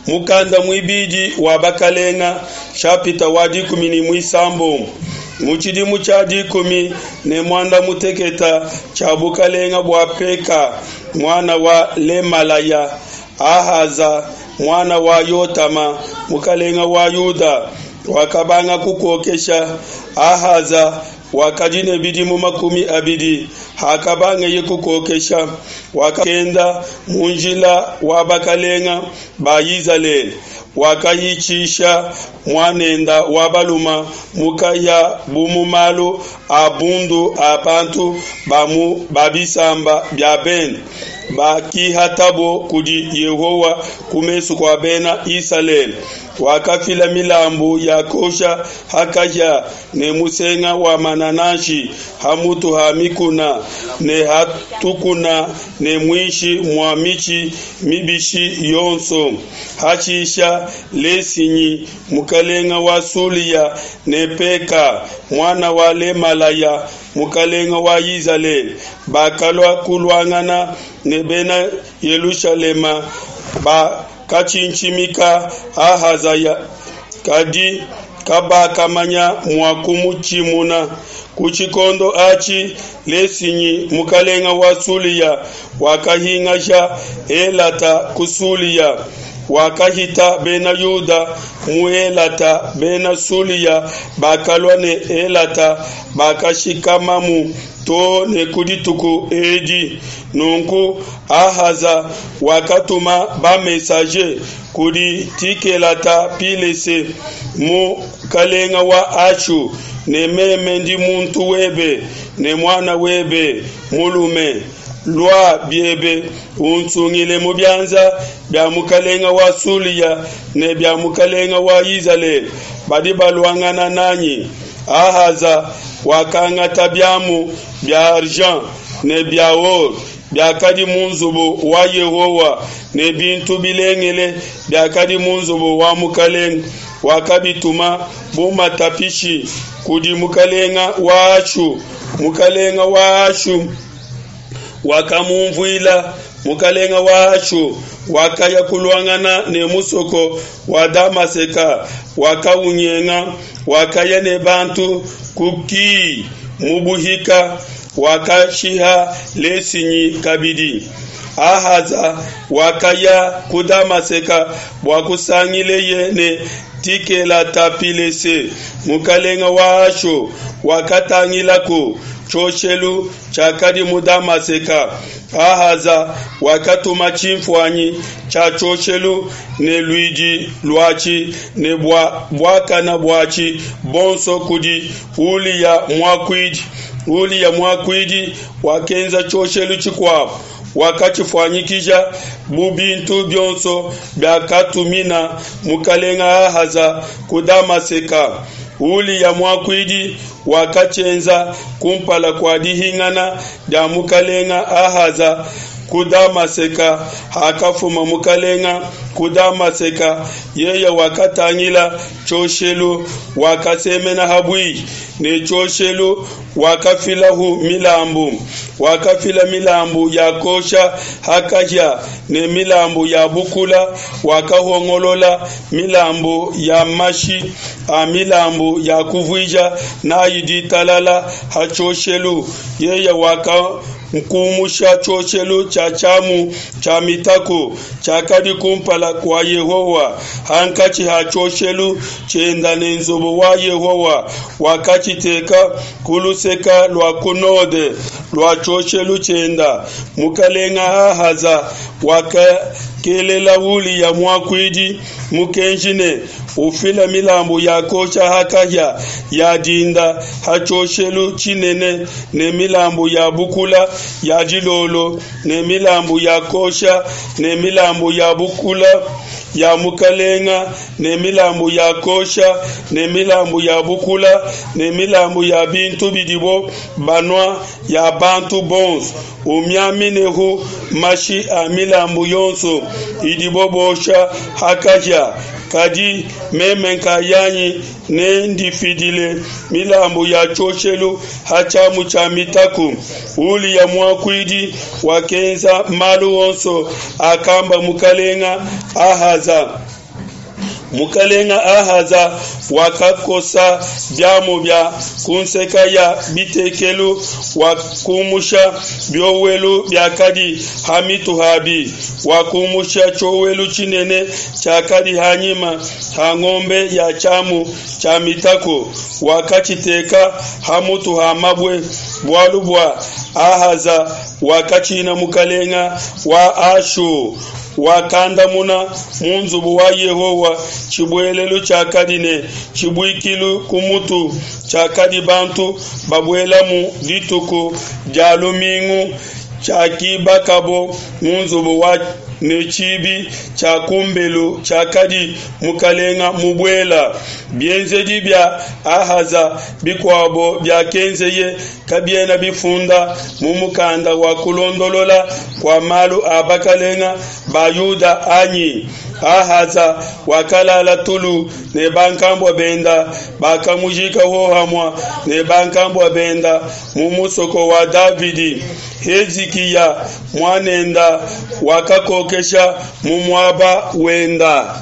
Mukanda muibidi wa Bakalenga, nshapita wa 16. Mu tshidimu tshia 15 tshia bukalenga bua Peka, muana wa Lemalaya, Ahaza, muana wa Yotama, mukalenga wa Yuda, wakabanga kukokesha. Ahaza wakadi ne bidimu 20 hakabangeye kukokesha, wakenda mu njila wa bakalenga ba Izalele, wakahitshisha muanenda wa baluma mukaya bu mu malu a bundu a bantu ba mu ba bisamba bia bende bakihatabo kudi Yehowa ku mesu kua Bena Isalele. Wakafila milambu ya kosha ha kahia ne musenga wa manananshi ha mutu ha mikuna ne ha tukuna ne muinshi mua mitshi mibishi yonso. Hashisha Lesinyi, mukalenga wa Sulia, ne Peka, muana wa Lemalaya, mukalenga wa Izalele, bakalua kuluangana ne Bena Yelushalema, bakatshintshimika Ahazaya, kadi kabakamanya mua kumutshimuna. Ku tshikondo atshi Lesinyi, mukalenga wa Sulia, wakahingasha Elata ku Sulia, wakahita Bena Yuda mu Elata. Bena Sulia bakalua ne Elata, bakashikamamu to ne ku dituku edi. Nunku Ahaza wakatuma ba-messager kudi Tikelata-pilese, mukalenga wa Ashu, ne meme ndi muntu webe ne muana webe mulume, lua biebe unsungile mu bianza bia mukalenga wa Sulia ne bia mukalenga wa Izalele badi baluangana nanyi. Ahaza wakangata biamu bia argent ne bia or biakadi mu nzubu wa Yehowa ne bintu bilengele biakadi mu nzubu wa mukalenge, wakabituma bu matapishi kudi mukalenga wa Ashu. Mukalenga wa Ashu wakamumvuila. Mukalenga wa Ashu wakaya kuluangana ne musoko wa Damaseka, wakaunyenga, wakaya ne bantu ku Ki mu buhika, wakashiha Lesinyi kabidi. Ahaza wakaya ku Damaseka bua kusangileye ne Tikelata-pilese, mukalenga wa Ashu, wakatangilaku tshioshelu tshiakadi mu Damaseka. Ahaza wakatuma tshimfuanyi tshia tshioshelu ne luidi luatshi ne bua buakana buatshi bonso kudi Uliya muakuidi. Uliya muakuidi wakenza tshioshelu tshikuabo, wakatshifuanyikija bu bintu bionso biakatumina mukalenga Ahaza ku Damaseka. Uliya muakuidi wakatshienza kumpala kua dihingana dia mukalenga Ahaza ku Damaseka. Hakafuma mukalenga ku Damaseka, yeye wakatangila tshioshelu, wakasemena ha buihi ne tshioshelu, wakafilahu milambu. Wakafila milambu ya kosha ha kahia ne milambu ya bukula, wakahongolola milambu ya mashi a milambu ya kuvuija nayi ditalala ha tshioshelu. Yeye wakakumusha tshioshelu tshia tshiamu tshia mitaku tshiakadi kumpala kua Yehowa, hankatshi ha tshioshelu tshienda ne nzubu wa Yehowa, wakatshiteka ku luseka lua ku node lua tshioshelu tshienda. Mukalenga Ahaza wakakelela Uliya muakuidi mukenji ne, Ufile milambu ya kosha ha kahia ya dinda ha tshioshelu tshinene, ne milambu ya bukula ya dilolo, ne milambu ya kosha, ne milambu ya bukula ya mukalenga, ne milambu ya kosha, ne milambu ya bukula, ne milambu ya bintu bidibo banua ya bantu bonso. Umiaminehu mashi a milambu yonso idibo bosha ha kahia. Kadi meme nkayanyi nendifidile milambu ya tshioshelu ha tshiamu tshia mitaku. Uliya muakuidi wakenza malu onso akamba mukalenga Ahaza. Mukalenga Ahaza wakakosa biamu bia ku nseka ya bitekelu, wakumusha biowelu biakadi ha mitu habi, wakumusha tshiowelu tshinene tshiakadi ha nyima ha ngombe ya tshiamu tshia mitaku, wakatshiteka ha mutu ha mabue, bualu bua Ahaza wakatshina mukalenga wa Ashu. Wakandamuna mu nzubu wa Yehowa tshibuelelu tshiakadi ne tshibuikilu ku mutu tshiakadi bantu babuelamu dituku dia lumingu, tshiakibakabo mu nzubu wa ne tshibi tshia ku mbelu tshiakadi mukalenga mubuela. Bienzedi bia Ahaza bikuabo biakenzeye kabiena bifunda mu mukanda wa kulondolola kua malu a bakelenge ba Yuda anyi? Ahaza wakalala tulu ne bankambua benda, bakamujika hohamue ne bankambua benda mu musoko wa Davidi. Hezikiya muanenda wakakokesha mu muaba wenda.